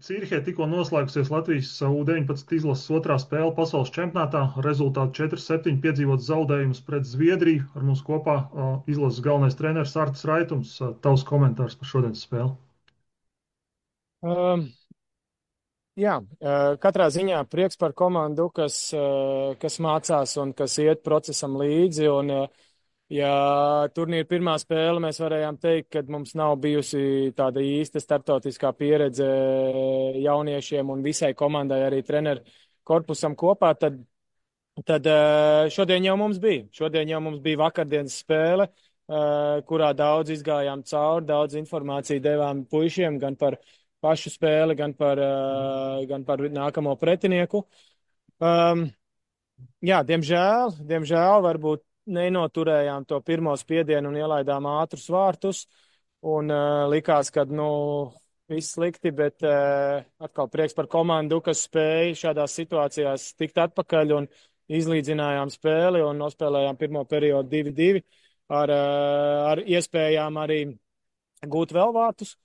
Cīrihē tikko noslēgusies Latvijas U-19 izlases otrā spēle pasaules čempionātā. Rezultāti 4-7 piedzīvot zaudējumus pret Zviedriju. Ar mums kopā izlases galvenais treneris Artis Raitums. Tavs komentārs par šodienas spēli. Um, jā, katrā ziņā prieks par komandu, kas mācās un kas iet procesam līdzi. Un, ja turnīra pirmā spēle mēs varējām teikt, ka mums nav bijusi tāda īsta starptautiskā pieredze jauniešiem un visai komandai, arī treneru korpusam kopā, tad šodien jau mums bija. Šodien jau mums bija vakardienas spēle, kurā daudz izgājām cauri, daudz informāciju devām puišiem gan par pašu spēli, gan par nākamo pretinieku. Um, jā, diemžēl varbūt nenoturējām to pirmo spiedienu un ielaidām ātrus vārtus. Un likās, ka, viss slikti, bet atkal prieks par komandu, kas spēja šādās situācijās tikt atpakaļ un izlīdzinājām spēli un nospēlējām pirmo periodu 2-2 ar iespējām arī gūt vēl vārtus.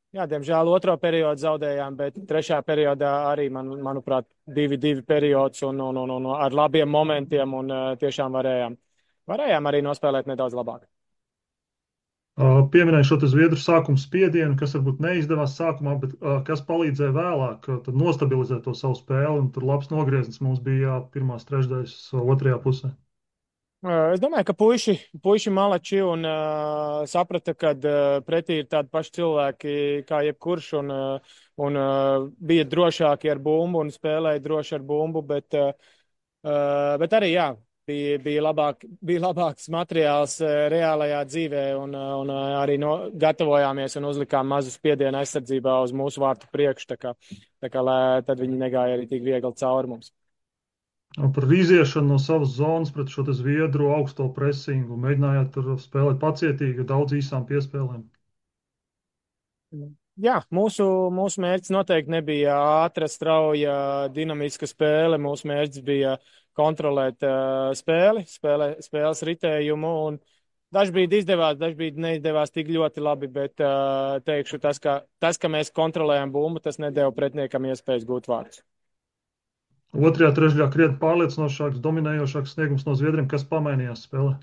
Jā, diemžēl otro periodu zaudējām, bet trešā periodā arī, manuprāt, 2-2 periods un ar labiem momentiem un tiešām varējām arī nospēlēt nedaudz labāk. Pieminēju šo Zviedru sākuma spiedienu, kas varbūt neizdevās sākumā, bet kas palīdzēja vēlāk tad nostabilizēt to savu spēli. Un tur labs nogrieznis mums bija pirmās trešdaļas otrajā pusē. Es domāju, ka puiši malači un saprata, ka pretī ir tādi paši cilvēki kā jebkurš un bija drošāki ar bumbu un spēlēja droši ar bumbu, bet arī, jā, bija labāks materiāls reālajā dzīvē un arī gatavojāmies un uzlikām mazu spiedienu aizsardzībā uz mūsu vārtu priekšu, tā kā lai tad viņi negāja arī tik viegli cauri mums. Par iziešanu no savas zonas pret šo Zviedru augsto presingu mēģinājāt tur spēlēt pacietīgi, daudz īsām piespēlēm. Jā, mūsu mērķis noteikti nebija ātra, strauja, dinamiska spēle. Mūsu mērķis bija kontrolēt spēles ritējumu. Un dažbrīd izdevās, dažbrīd neizdevās tik ļoti labi, bet teikšu, ka mēs kontrolējam bumbu, tas nedēva pretiniekam iespējas gūt vārdus. Otrajā trešdaļā krietni pārliecinošāks, dominējošāks sniegums no Zviedriem, kas pamainījās spēlē.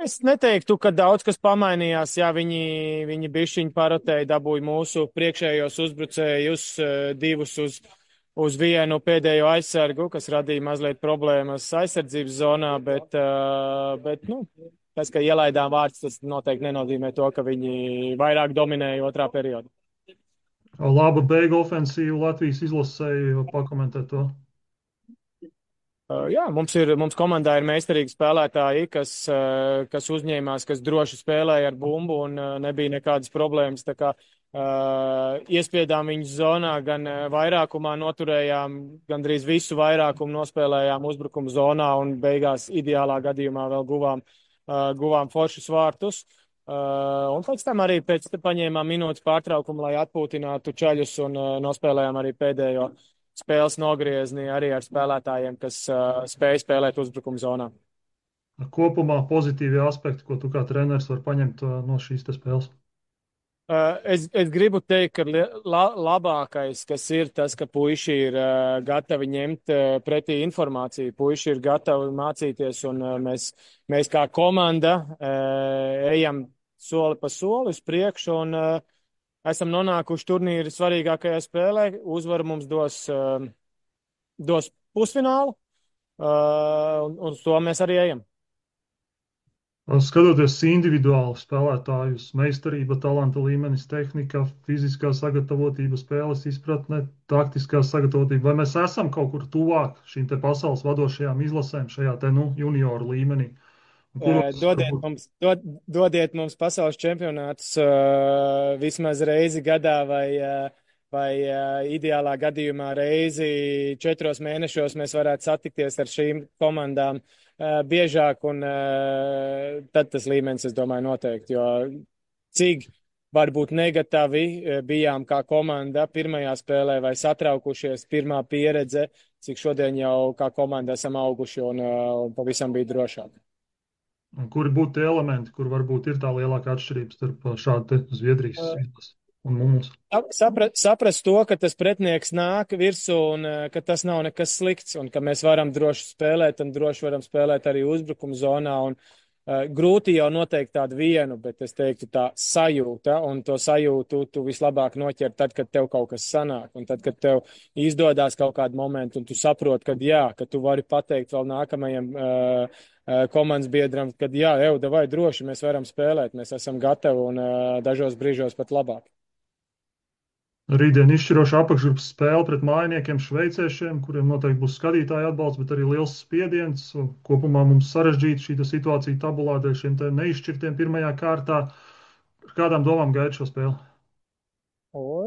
Es neteiktu, ka daudz kas pamainījās. Jā, viņi bišķiņi parotēja, dabūja mūsu priekšējos uzbrucējus, divus uz vienu pēdējo aizsargu, kas radīja mazliet problēmas aizsardzības zonā, bet tas, ka ielaidām vārds, tas noteikti nenozīmē to, ka viņi vairāk dominēja otrā periodā. Laba beigu ofensīva Latvijas izlasēja, pakomentēt to. Jā, mums komandā ir meistarīgi spēlētāji, kas uzņēmās, kas droši spēlēja ar bumbu un nebija nekādas problēmas. Tā kā iespiedām viņus zonā, gan vairākumā noturējām, gandrīz visu vairākumu nospēlējām uzbrukumu zonā un beigās ideālā gadījumā vēl guvām foršus vārtus. Un pēc tam arī paņēmām minūtes pārtraukumu, lai atpūtinātu čaļus un nospēlējām arī pēdējo spēles nogriezni arī ar spēlētājiem, kas spēj spēlēt uzbrukuma zonā. Kopumā pozitīvie aspekti, ko tu kā treneris var paņemt no šīs spēles? Es gribu teikt, ka labākais, kas ir tas, ka puiši ir gatavi ņemt pretī informāciju, puiši ir gatavi mācīties, un mēs kā komanda ejam soli pa soli uz priekšu, un esam nonākuši turnīra svarīgākajā spēlē. Uzvaru mums dos pusfinālu, un uz to mēs arī ejam. Skatoties individuāli spēlētājus, meistarība, talanta līmenis, tehnika, fiziskā sagatavotība, spēles izpratne, taktiskā sagatavotība, vai mēs esam kaut kur tuvāk šīm te pasaules vadošajām izlasēm šajā te, junioru līmenī? Dodiet mums pasaules čempionātus vismaz reizi gadā vai ideālā gadījumā reizi 4 mēnešos mēs varētu satikties ar šīm komandām biežāk, un tad tas līmenis, es domāju, noteikti, jo cik varbūt negatavi bijām kā komanda pirmajā spēlē vai satraukušies, pirmā pieredze, cik šodien jau kā komanda esam auguši un pavisam bija drošāk. Kuri būtu tie elementi, kur varbūt ir tā lielākā atšķirība starp šādu Zviedrijas izlasi? un mums. Saprast to, ka tas pretinieks nāk virsū un ka tas nav nekas slikts un ka mēs varam droši spēlēt un droši varam spēlēt arī uzbrukuma zonā. Un, grūti jau noteikt tādu vienu, bet es teiktu tā sajūta, un to sajūtu tu vislabāk noķer tad, kad tev kaut kas sanāk, un tad, kad tev izdodas kaut kādu momentu, un tu saproti, ka jā, ka tu vari pateikt vēl nākamajam komandas biedram, kad jā, Euda, vai droši mēs varam spēlēt, mēs esam gatavi un dažos brīžos pat labāk. Rītdien izšķiroša apakšgrupas spēle pret mājiniekiem šveiciešiem, kuriem noteikti būs skatītāju atbalsts, bet arī liels spiediens. Kopumā mums sarežģīta šī situācija tabulā dēļ šiem neizšķirtiem pirmajā kārtā. Ar kādām domām gaida šo spēli?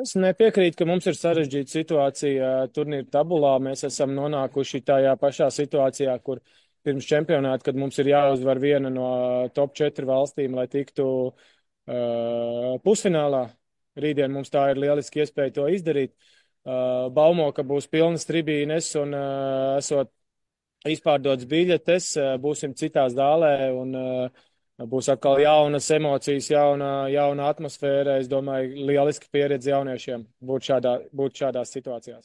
Es nepiekrītu, ka mums ir sarežģīta situācija turnīra tabulā. Mēs esam nonākuši tajā pašā situācijā, kur pirms čempionāta, kad mums ir jāuzvar viena no top 4 valstīm, lai tiktu pusfinālā. Rītdien mums tā ir lieliski iespēja to izdarīt. Baumo, ka būs pilnas tribīnes un esot izpārdotas biļetes, būsim citā zālē un būs atkal jaunas emocijas, jauna atmosfēra. Es domāju, lieliska pieredze jauniešiem būt šādās situācijās.